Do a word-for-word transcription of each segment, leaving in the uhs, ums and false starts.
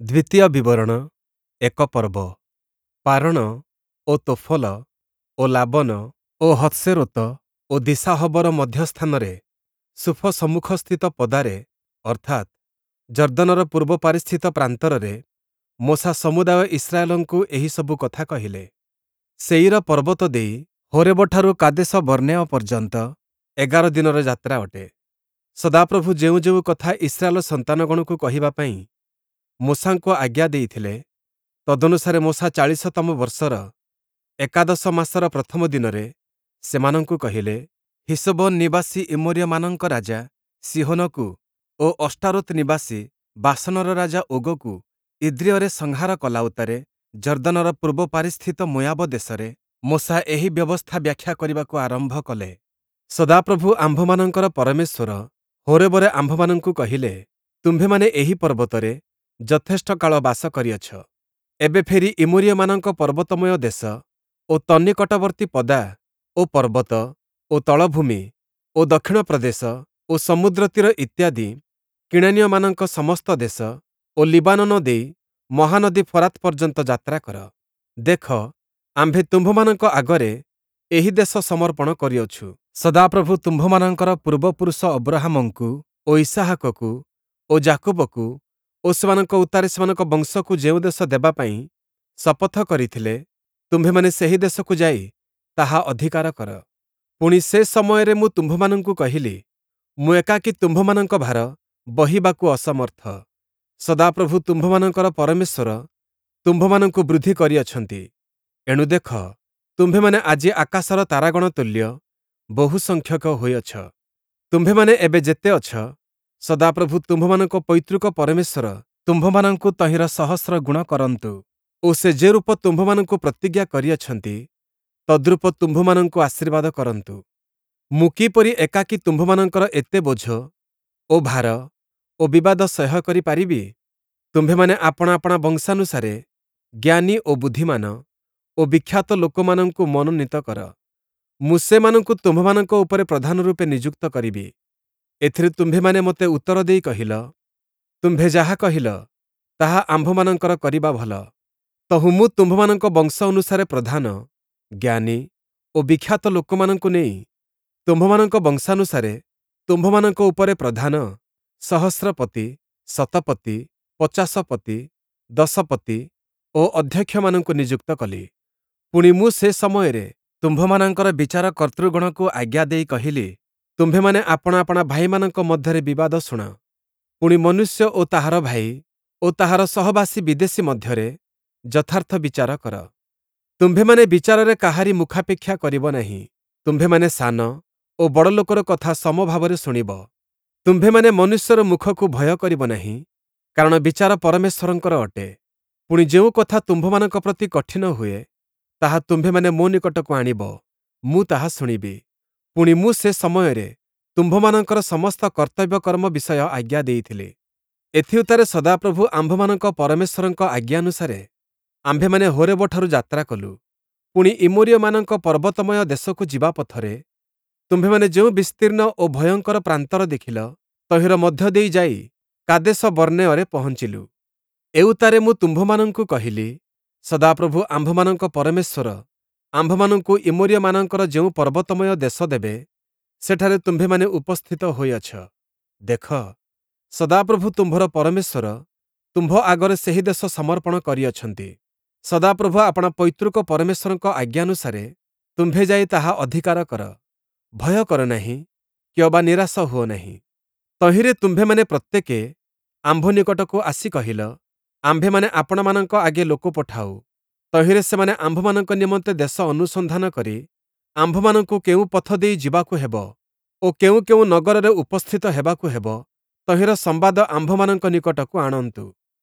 ଦ୍ୱିତୀୟ ବିବରଣ ଏକ ପର୍ବ। ପାରଣ ଓ ତୋଫଲ ଓ ଲାବନ ଓ ହତ୍ସେରୋତ ଓ ଦୀସାହବର ମଧ୍ୟସ୍ଥାନରେ ସୁଫ ସମ୍ମୁଖସ୍ଥିତ ପଦାରେ ଅର୍ଥାତ୍, ଯର୍ଦ୍ଦନର ପୂର୍ବ ପାରିସ୍ଥିତ ପ୍ରାନ୍ତରରେ ମୋଶା ସମୁଦାୟ ଇସ୍ରାଏଲଙ୍କୁ ଏହି ସବୁ କଥା କହିଲେ। ସେୟୀର ପର୍ବତ ଦେଇ ହୋରେବଠାରୁ କାଦେଶ-ବର୍ଣ୍ଣେୟ ପର୍ଯ୍ୟନ୍ତ ଏଗାର ଦିନର ଯାତ୍ରା ଅଟେ। ସଦାପ୍ରଭୁ ଯେଉଁ ଯେଉଁ କଥା ଇସ୍ରାଏଲ ସନ୍ତାନଗଣକୁ କହିବା ପାଇଁ ମୋଶାଙ୍କୁ ଆଜ୍ଞା ଦେଇଥିଲେ, ତଦନୁସାରେ ମୋଶା ଚାଳିଶତମ ବର୍ଷର ଏକାଦଶ ମାସର ପ୍ରଥମ ଦିନରେ ସେମାନଙ୍କୁ କହିଲେ। ହିଷ୍ବୋନ ନିବାସୀ ଇମୋରୀୟମାନଙ୍କ ରାଜା ସୀହୋନକୁ ଓ ଅଷ୍ଟାରୋତ୍ ନିବାସୀ ବାଶନର ରାଜା ଓଗକୁ ଇଦ୍ରେୟରେ ସଂହାର କଲା ଉତ୍ତାରେ ଯର୍ଦ୍ଦନର ପୂର୍ବ ପାରିସ୍ଥିତ ମୋୟାବ ଦେଶରେ ମୋଶା ଏହି ବ୍ୟବସ୍ଥା ବ୍ୟାଖ୍ୟା କରିବାକୁ ଆରମ୍ଭ କଲେ। ସଦାପ୍ରଭୁ ଆମ୍ଭମାନଙ୍କର ପରମେଶ୍ୱର ହୋରେବରେ ଆମ୍ଭମାନଙ୍କୁ କହିଲେ, ତୁମ୍ଭେମାନେ ଏହି ପର୍ବତରେ ଯଥେଷ୍ଟ କାଳ ବାସ କରିଅଛ। ଏବେ ଫେରି ଇମୋରୀୟମାନଙ୍କ ପର୍ବତମୟ ଦେଶ ଓ ତନ୍ନିକଟବର୍ତ୍ତୀ ପଦା ଓ ପର୍ବତ ଓ ତଳଭୂମି ଓ ଦକ୍ଷିଣ ପ୍ରଦେଶ ଓ ସମୁଦ୍ରତୀର ଇତ୍ୟାଦି କିଣାନୀୟମାନଙ୍କ ସମସ୍ତ ଦେଶ ଓ ଲିବାନୋନ ଦେଇ ମହାନଦୀ ଫରାତ୍ ପର୍ଯ୍ୟନ୍ତ ଯାତ୍ରା କର। ଦେଖ, ଆମ୍ଭେ ତୁମ୍ଭମାନଙ୍କ ଆଗରେ ଏହି ଦେଶ ସମର୍ପଣ କରିଅଛୁ। ସଦାପ୍ରଭୁ ତୁମ୍ଭମାନଙ୍କର ପୂର୍ବପୁରୁଷ ଅବ୍ରହାମଙ୍କୁ ଓ ଇସ୍‌ହାକକୁ ଓ ଯାକୁବକୁ ଓ ସେମାନଙ୍କ ଉତ୍ତାରେ ସେମାନଙ୍କ ବଂଶକୁ ଯେଉଁ ଦେଶ ଦେବା ପାଇଁ ଶପଥ କରିଥିଲେ, ତୁମ୍ଭେମାନେ ସେହି ଦେଶକୁ ଯାଇ ତାହା ଅଧିକାର କର। ପୁଣି ସେ ସମୟରେ ମୁଁ ତୁମ୍ଭମାନଙ୍କୁ କହିଲି, ମୁଁ ଏକାକୀ ତୁମ୍ଭମାନଙ୍କ ଭାର ବହିବାକୁ ଅସମର୍ଥ। ସଦାପ୍ରଭୁ ତୁମ୍ଭମାନଙ୍କର ପରମେଶ୍ୱର ତୁମ୍ଭମାନଙ୍କୁ ବୃଦ୍ଧି କରିଅଛନ୍ତି। ଏଣୁ ଦେଖ, ତୁମ୍ଭେମାନେ ଆଜି ଆକାଶର ତାରାଗଣ ତୁଲ୍ୟ ବହୁସଂଖ୍ୟକ ହୋଇଅଛ। ତୁମ୍ଭେମାନେ ଏବେ ଯେତେ ଅଛ, ସଦାପ୍ରଭୁ ତୁମ୍ଭମାନଙ୍କ ପୈତୃକ ପରମେଶ୍ୱର ତୁମ୍ଭମାନଙ୍କୁ ତହିଁର ସହସ୍ର ଗୁଣ କରନ୍ତୁ ଓ ସେ ଯେରୂପ ତୁମ୍ଭମାନଙ୍କୁ ପ୍ରତିଜ୍ଞା କରିଅଛନ୍ତି, ତଦ୍ରୂପ ତୁମ୍ଭମାନଙ୍କୁ ଆଶୀର୍ବାଦ କରନ୍ତୁ। ମୁଁ କିପରି ଏକାକୀ ତୁମ୍ଭମାନଙ୍କର ଏତେ ବୋଝ ଓ ଭାର ଓ ବିବାଦ ସହ୍ୟ କରି ପାରିବି? ତୁମ୍ଭେମାନେ ଆପଣା ଆପଣା ବଂଶାନୁସାରେ ଜ୍ଞାନୀ ଓ ବୁଦ୍ଧିମାନ ଓ ବିଖ୍ୟାତ ଲୋକମାନଙ୍କୁ ମନୋନୀତ କର। ମୁଁ ସେମାନଙ୍କୁ ତୁମ୍ଭମାନଙ୍କ ଉପରେ ପ୍ରଧାନ ରୂପେ ନିଯୁକ୍ତ କରିବି। ଏଥିରେ ତୁମ୍ଭେମାନେ ମୋତେ ଉତ୍ତର ଦେଇ କହିଲ, ତୁମ୍ଭେ ଯାହା କହିଲ, ତାହା ଆମ୍ଭମାନଙ୍କର କରିବା ଭଲ। ତହୁଁ ମୁଁ ତୁମ୍ଭମାନଙ୍କ ବଂଶ ଅନୁସାରେ ପ୍ରଧାନ, ଜ୍ଞାନୀ ଓ ବିଖ୍ୟାତ ଲୋକମାନଙ୍କୁ ନେଇ ତୁମ୍ଭମାନଙ୍କ ବଂଶାନୁସାରେ ତୁମ୍ଭମାନଙ୍କ ଉପରେ ପ୍ରଧାନ, ସହସ୍ରପତି, ଶତପତି, ପଚାଶପତି, ଦଶପତି ଓ ଅଧ୍ୟକ୍ଷମାନଙ୍କୁ ନିଯୁକ୍ତ କଲି। ପୁଣି ମୁଁ ସେ ସମୟରେ ତୁମ୍ଭମାନଙ୍କର ବିଚାରକର୍ତ୍ତୃଗଣକୁ ଆଜ୍ଞା ଦେଇ କହିଲି, ତୁମ୍ଭେମାନେ ଆପଣା ଆପଣା ଭାଇମାନଙ୍କ ମଧ୍ୟରେ ବିବାଦ ଶୁଣ। ପୁଣି ମନୁଷ୍ୟ ଓ ତାହାର ଭାଇ ଓ ତାହାର ସହବାସୀ ବିଦେଶୀ ମଧ୍ୟରେ ଯଥାର୍ଥ ବିଚାର କର। ତୁମ୍ଭେମାନେ ବିଚାରରେ କାହାରି ମୁଖାପେକ୍ଷା କରିବ ନାହିଁ। ତୁମ୍ଭେମାନେ ସାନ ଓ ବଡ଼ ଲୋକର କଥା ସମଭାବରେ ଶୁଣିବ। ତୁମ୍ଭେମାନେ ମନୁଷ୍ୟର ମୁଖକୁ ଭୟ କରିବ ନାହିଁ, କାରଣ ବିଚାର ପରମେଶ୍ୱରଙ୍କର ଅଟେ। ପୁଣି ଯେଉଁ କଥା ତୁମ୍ଭମାନଙ୍କ ପ୍ରତି କଠିନ ହୁଏ, ତାହା ତୁମ୍ଭେମାନେ ମୋ ନିକଟକୁ ଆଣିବ, ମୁଁ ତାହା ଶୁଣିବି। ପୁଣି ମୁଁ ସେ ସମୟରେ ତୁମ୍ଭମାନଙ୍କର ସମସ୍ତ କର୍ତ୍ତବ୍ୟକର୍ମ ବିଷୟ ଆଜ୍ଞା ଦେଇଥିଲି। ଏଥିଉତ୍ତାରେ ସଦାପ୍ରଭୁ ଆମ୍ଭମାନଙ୍କ ପରମେଶ୍ୱରଙ୍କ ଆଜ୍ଞାନୁସାରେ ଆମ୍ଭେମାନେ ହୋରେବଠାରୁ ଯାତ୍ରା କଲୁ। ପୁଣି ଇମୋରୀୟମାନଙ୍କ ପର୍ବତମୟ ଦେଶକୁ ଯିବା ପଥରେ ତୁମ୍ଭେମାନେ ଯେଉଁ ବିସ୍ତୀର୍ଣ୍ଣ ଓ ଭୟଙ୍କର ପ୍ରାନ୍ତର ଦେଖିଲ, ତହିଁର ମଧ୍ୟ ଦେଇ ଯାଇ କାଦେଶ ବର୍ଣ୍ଣେୟରେ ପହଞ୍ଚିଲୁ। ଏଉତ୍ତାରେ ମୁଁ ତୁମ୍ଭମାନଙ୍କୁ କହିଲି, ସଦାପ୍ରଭୁ ଆମ୍ଭମାନଙ୍କ ପରମେଶ୍ୱର ଆମ୍ଭମାନଙ୍କୁ ଇମୋରୀୟମାନଙ୍କର ଯେଉଁ ପର୍ବତମୟ ଦେଶ ଦେବେ, ସେଠାରେ ତୁମ୍ଭେମାନେ ଉପସ୍ଥିତ ହୋଇଅଛ। ଦେଖ, ସଦାପ୍ରଭୁ ତୁମ୍ଭର ପରମେଶ୍ୱର ତୁମ୍ଭ ଆଗରେ ସେହି ଦେଶ ସମର୍ପଣ କରିଅଛନ୍ତି। ସଦାପ୍ରଭୁ ଆପଣା ପୈତୃକ ପରମେଶ୍ୱରଙ୍କ ଆଜ୍ଞାନୁସାରେ ତୁମ୍ଭେ ଯାଇ ତାହା ଅଧିକାର କର। ଭୟ କର ନାହିଁ କିଅବା ନିରାଶ ହୁଅ ନାହିଁ। ତହିଁରେ ତୁମ୍ଭେମାନେ ପ୍ରତ୍ୟେକେ ଆମ୍ଭ ନିକଟକୁ ଆସି କହିଲ, ଆମ୍ଭେମାନେ ଆପଣାମାନଙ୍କ ଆଗେ ଲୋକ ପଠାଉ, ତହିଁରେ ସେମାନେ ଆମ୍ଭମାନଙ୍କ ନିମନ୍ତେ ଦେଶ ଅନୁସନ୍ଧାନ କରି ଆମ୍ଭମାନଙ୍କୁ କେଉଁ ପଥ ଦେଇ ଯିବାକୁ ହେବ ଓ କେଉଁ କେଉଁ ନଗରରେ ଉପସ୍ଥିତ ହେବାକୁ ହେବ, ତହିଁର ସମ୍ବାଦ ଆମ୍ଭମାନଙ୍କ ନିକଟକୁ ଆଣନ୍ତୁ।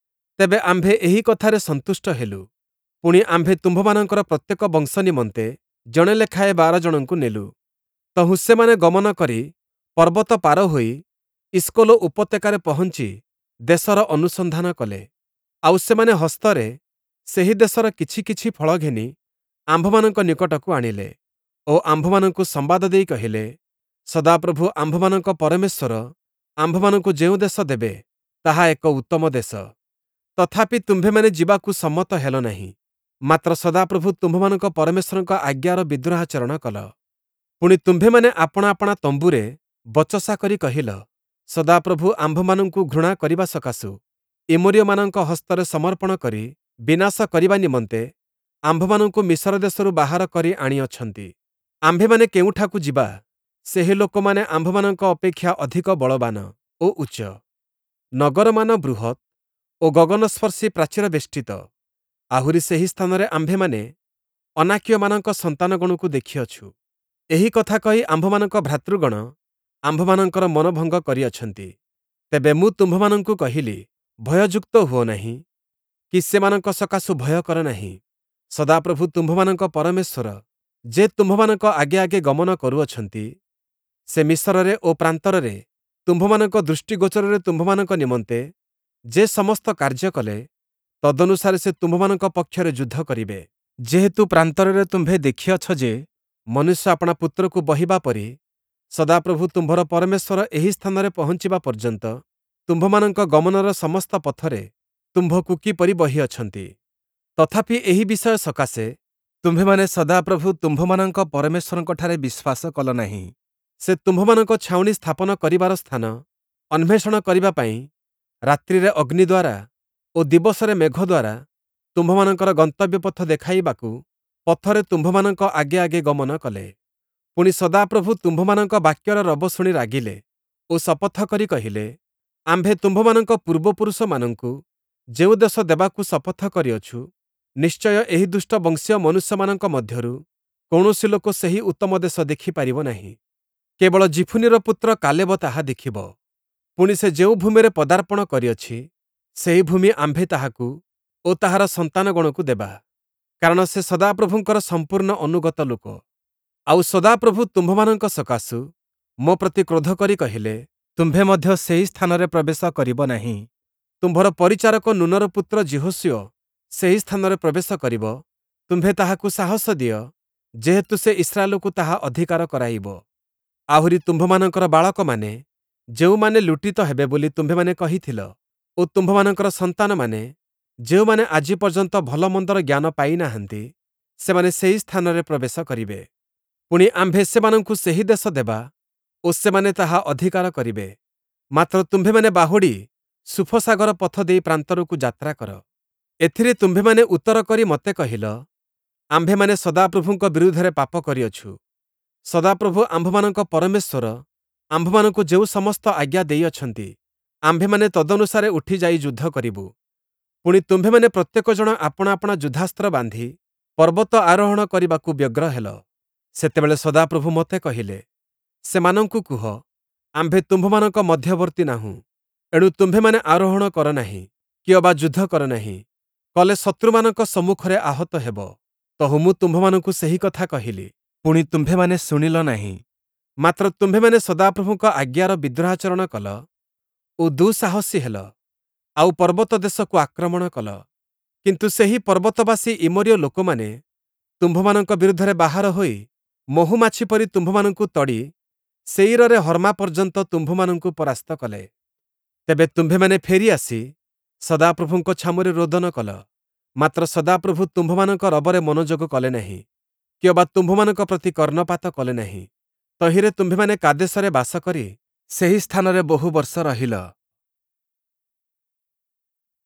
ତେବେ ଆମ୍ଭେ ଏହି କଥାରେ ସନ୍ତୁଷ୍ଟ ହେଲୁ। ପୁଣି ଆମ୍ଭେ ତୁମ୍ଭମାନଙ୍କର ପ୍ରତ୍ୟେକ ବଂଶ ନିମନ୍ତେ ଜଣେ ଲେଖାଏଁ ବାର ଜଣଙ୍କୁ ନେଲୁ। ତହୁଁ ସେମାନେ ଗମନ କରି ପର୍ବତ ପାର ହୋଇ ଇଷ୍କୋଲ ଉପତ୍ୟକାରେ ପହଞ୍ଚି ଦେଶର ଅନୁସନ୍ଧାନ କଲେ। ଆଉ ସେମାନେ ହସ୍ତରେ ସେହି ଦେଶର କିଛି କିଛି ଫଳ ଘେନି ଆମ୍ଭମାନଙ୍କ ନିକଟକୁ ଆଣିଲେ ଓ ଆମ୍ଭମାନଙ୍କୁ ସମ୍ବାଦ ଦେଇ କହିଲେ, ସଦାପ୍ରଭୁ ଆମ୍ଭମାନଙ୍କ ପରମେଶ୍ୱର ଆମ୍ଭମାନଙ୍କୁ ଯେଉଁ ଦେଶ ଦେବେ, ତାହା ଏକ ଉତ୍ତମ ଦେଶ। ତଥାପି ତୁମ୍ଭେମାନେ ଯିବାକୁ ସମ୍ମତ ହେଲ ନାହିଁ, ମାତ୍ର ସଦାପ୍ରଭୁ ତୁମ୍ଭମାନଙ୍କ ପରମେଶ୍ୱରଙ୍କ ଆଜ୍ଞାର ବିଦ୍ରୋହାଚରଣ କଲ। ପୁଣି ତୁମ୍ଭେମାନେ ଆପଣା ଆପଣା ତମ୍ବୁରେ ବଚସା କରି କହିଲ, ସଦାପ୍ରଭୁ ଆମ୍ଭମାନଙ୍କୁ ଘୃଣା କରିବା ସକାଶୁ ଇମୋରୀୟମାନଙ୍କ ହସ୍ତରେ ସମର୍ପଣ କରି ବିନାଶ କରିବା ନିମନ୍ତେ ଆମ୍ଭମାନଙ୍କୁ ମିସର ଦେଶରୁ ବାହାର କରି ଆଣିଅଛନ୍ତି। ଆମ୍ଭେମାନେ କେଉଁଠାକୁ ଯିବା? ସେହି ଲୋକମାନେ ଆମ୍ଭମାନଙ୍କ ଅପେକ୍ଷା ଅଧିକ ବଳବାନ ଓ ଉଚ୍ଚ। ନଗରମାନ ବୃହତ୍ ଓ ଗଗନସ୍ପର୍ଶୀ ପ୍ରାଚୀରବେଷ୍ଟିତ। ଆହୁରି ସେହି ସ୍ଥାନରେ ଆମ୍ଭେମାନେ ଅନାକୀୟମାନଙ୍କ ସନ୍ତାନଗଣକୁ ଦେଖିଅଛୁ। ଏହି କଥା କହି ଆମ୍ଭମାନଙ୍କ ଭ୍ରାତୃଗଣ ଆମ୍ଭମାନଙ୍କର ମନୋଭଙ୍ଗ କରିଅଛନ୍ତି। ତେବେ ମୁଁ ତୁମ୍ଭମାନଙ୍କୁ କହିଲି, ଭୟଯୁକ୍ତ ହୁଅ ନାହିଁ କି ସେମାନଙ୍କ ସକାଶୁ ଭୟ କର ନାହିଁ। ସଦାପ୍ରଭୁ ତୁମ୍ଭମାନଙ୍କ ପରମେଶ୍ୱର ଯେ ତୁମ୍ଭମାନଙ୍କ ଆଗେ ଆଗେ ଗମନ କରୁଅଛନ୍ତି, ସେ ମିସରରେ ଓ ପ୍ରାନ୍ତରରେ ତୁମ୍ଭମାନଙ୍କ ଦୃଷ୍ଟିଗୋଚରରେ ତୁମ୍ଭମାନଙ୍କ ନିମନ୍ତେ ଯେ ସମସ୍ତ କାର୍ଯ୍ୟ କଲେ, ତଦନୁସାରେ ସେ ତୁମ୍ଭମାନଙ୍କ ପକ୍ଷରେ ଯୁଦ୍ଧ କରିବେ। ଯେହେତୁ ପ୍ରାନ୍ତରରେ ତୁମ୍ଭେ ଦେଖିଅଛ ଯେ, ମନୁଷ୍ୟ ଆପଣା ପୁତ୍ରକୁ ବହିବା ପରି ସଦାପ୍ରଭୁ ତୁମ୍ଭର ପରମେଶ୍ୱର ଏହି ସ୍ଥାନରେ ପହଞ୍ଚିବା ପର୍ଯ୍ୟନ୍ତ ତୁମ୍ଭମାନଙ୍କ ଗମନର ସମସ୍ତ ପଥରେ ତୁମ୍ଭକୁ କିପରି ବହିଅଛନ୍ତି। ତଥାପି ଏହି ବିଷୟ ସକାଶେ ତୁମ୍ଭେମାନେ ସଦାପ୍ରଭୁ ତୁମ୍ଭମାନଙ୍କ ପରମେଶ୍ୱରଙ୍କଠାରେ ବିଶ୍ୱାସ କଲ ନାହିଁ। ସେ ତୁମ୍ଭମାନଙ୍କ ଛାଉଣି ସ୍ଥାପନ କରିବାର ସ୍ଥାନ ଅନ୍ୱେଷଣ କରିବା ପାଇଁ ରାତ୍ରିରେ ଅଗ୍ନି ଦ୍ୱାରା ଓ ଦିବସରେ ମେଘ ଦ୍ୱାରା ତୁମ୍ଭମାନଙ୍କର ଗନ୍ତବ୍ୟ ପଥ ଦେଖାଇବାକୁ ପଥରେ ତୁମ୍ଭମାନଙ୍କ ଆଗେ ଆଗେ ଗମନ କଲେ। ପୁଣି ସଦାପ୍ରଭୁ ତୁମ୍ଭମାନଙ୍କ ବାକ୍ୟର ରବ ଶୁଣି ରାଗିଲେ ଓ ଶପଥ କରି କହିଲେ, ଆମ୍ଭେ ତୁମ୍ଭମାନଙ୍କ ପୂର୍ବପୁରୁଷମାନଙ୍କୁ ଯେଉଁ ଦେଶ ଦେବାକୁ ଶପଥ କରିଅଛୁ, ନିଶ୍ଚୟ ଏହି ଦୁଷ୍ଟ ବଂଶୀୟ ମନୁଷ୍ୟମାନଙ୍କ ମଧ୍ୟରୁ କୌଣସି ଲୋକ ସେହି ଉତ୍ତମ ଦେଶ ଦେଖିପାରିବ ନାହିଁ। କେବଳ ଯିଫୁନ୍ନିର ପୁତ୍ର କାଲେବ ତାହା ଦେଖିବ। ପୁଣି ସେ ଯେଉଁ ଭୂମିରେ ପଦାର୍ପଣ କରିଅଛି, ସେହି ଭୂମି ଆମ୍ଭେ ତାହାକୁ ଓ ତାହାର ସନ୍ତାନଗଣକୁ ଦେବା, କାରଣ ସେ ସଦାପ୍ରଭୁଙ୍କର ସମ୍ପୂର୍ଣ୍ଣ ଅନୁଗତ ଲୋକ। ଆଉ ସଦାପ୍ରଭୁ ତୁମ୍ଭମାନଙ୍କ ସକାଶୁ ମୋ ପ୍ରତି କ୍ରୋଧ କରି କହିଲେ, ତୁମ୍ଭେ ମଧ୍ୟ ସେହି ସ୍ଥାନରେ ପ୍ରବେଶ କରିବ ନାହିଁ। ତୁମ୍ଭର ପରିଚାରକ ନୂନର ପୁତ୍ର ଯିହୋଶୂୟ ସେହି ସ୍ଥାନରେ ପ୍ରବେଶ କରିବ, ତୁମ୍ଭେ ତାହାକୁ ସାହସ ଦିଅ, ଯେହେତୁ ସେ ଇସ୍ରାଏଲକୁ ତାହା ଅଧିକାର କରାଇବ। ଆହୁରି ତୁମ୍ଭମାନଙ୍କର ବାଳକମାନେ, ଯେଉଁମାନେ ଲୁଟିତ ହେବେ ବୋଲି ତୁମ୍ଭେମାନେ କହିଥିଲ, ଓ ତୁମ୍ଭମାନଙ୍କର ସନ୍ତାନମାନେ, ଯେଉଁମାନେ ଆଜି ପର୍ଯ୍ୟନ୍ତ ଭଲମନ୍ଦର ଜ୍ଞାନ ପାଇନାହାନ୍ତି, ସେମାନେ ସେହି ସ୍ଥାନରେ ପ୍ରବେଶ କରିବେ। ପୁଣି ଆମ୍ଭେ ସେମାନଙ୍କୁ ସେହି ଦେଶ ଦେବା ଓ ସେମାନେ ତାହା ଅଧିକାର କରିବେ। ମାତ୍ର ତୁମ୍ଭେମାନେ ବାହୁଡ଼ି ସୁଫସାଗର ପଥ ଦେଇ ପ୍ରାନ୍ତରକୁ ଯାତ୍ରା କର। ଏଥିରେ ତୁମ୍ଭେମାନେ ଉତ୍ତର କରି ମୋତେ କହିଲ, ଆମ୍ଭେମାନେ ସଦାପ୍ରଭୁଙ୍କ ବିରୁଦ୍ଧରେ ପାପ କରିଅଛୁ। ସଦାପ୍ରଭୁ ଆମ୍ଭମାନଙ୍କ ପରମେଶ୍ୱର ଆମ୍ଭମାନଙ୍କୁ ଯେଉଁ ସମସ୍ତ ଆଜ୍ଞା ଦେଇଅଛନ୍ତି, ଆମ୍ଭେମାନେ ତଦନୁସାରେ ଉଠିଯାଇ ଯୁଦ୍ଧ କରିବୁ। ପୁଣି ତୁମ୍ଭେମାନେ ପ୍ରତ୍ୟେକ ଜଣ ଆପଣା ଆପଣା ଯୁଦ୍ଧାସ୍ତ୍ର ବାନ୍ଧି ପର୍ବତ ଆରୋହଣ କରିବାକୁ ବ୍ୟଗ୍ର ହେଲ। ସେତେବେଳେ ସଦାପ୍ରଭୁ ମୋତେ କହିଲେ, ସେମାନଙ୍କୁ କୁହ, ଆମ୍ଭେ ତୁମ୍ଭମାନଙ୍କ ମଧ୍ୟବର୍ତ୍ତୀ ନାହୁଁ, ଏଣୁ ତୁମ୍ଭେମାନେ ଆରୋହଣ କର ନାହିଁ କି ଅବା ଯୁଦ୍ଧ କର ନାହିଁ, କଲେ ଶତ୍ରୁମାନଙ୍କ ସମ୍ମୁଖରେ ଆହତ ହେବ। ତହୁଁ ମୁଁ ତୁମ୍ଭମାନଙ୍କୁ ସେହି କଥା କହିଲି, ପୁଣି ତୁମ୍ଭେମାନେ ଶୁଣିଲ ନାହିଁ। ମାତ୍ର ତୁମ୍ଭେମାନେ ସଦାପ୍ରଭୁଙ୍କ ଆଜ୍ଞାର ବିଦ୍ରୋହାଚରଣ କଲ ଓ ଦୁଃସାହସୀ ହେଲ, ଆଉ ପର୍ବତ ଦେଶକୁ ଆକ୍ରମଣ କଲ। କିନ୍ତୁ ସେହି ପର୍ବତବାସୀ ଇମୋରୀୟ ଲୋକମାନେ ତୁମ୍ଭମାନଙ୍କ ବିରୁଦ୍ଧରେ ବାହାର ହୋଇ ମହୁମାଛି ପରି ତୁମ୍ଭମାନଙ୍କୁ ତଡ଼ି ସେୟୀରରେ ହର୍ମା ପର୍ଯ୍ୟନ୍ତ ତୁମ୍ଭମାନଙ୍କୁ ପରାସ୍ତ କଲେ। ତେବେ ତୁମ୍ଭେମାନେ ଫେରି ଆସି ସଦାପ୍ରଭୁଙ୍କ ଛାମୁରେ ରୋଦନ କଲ, ମାତ୍ର ସଦାପ୍ରଭୁ ତୁମ୍ଭମାନଙ୍କ ରବରେ ମନୋଯୋଗ କଲେ ନାହିଁ, କି ଅବା ତୁମ୍ଭମାନଙ୍କ ପ୍ରତି କର୍ଣ୍ଣପାତ କଲେ ନାହିଁ। ତହିଁରେ ତୁମ୍ଭେମାନେ କାଦେଶରେ ବାସ କରି ସେହି ସ୍ଥାନରେ ବହୁ ବର୍ଷ ରହିଲ।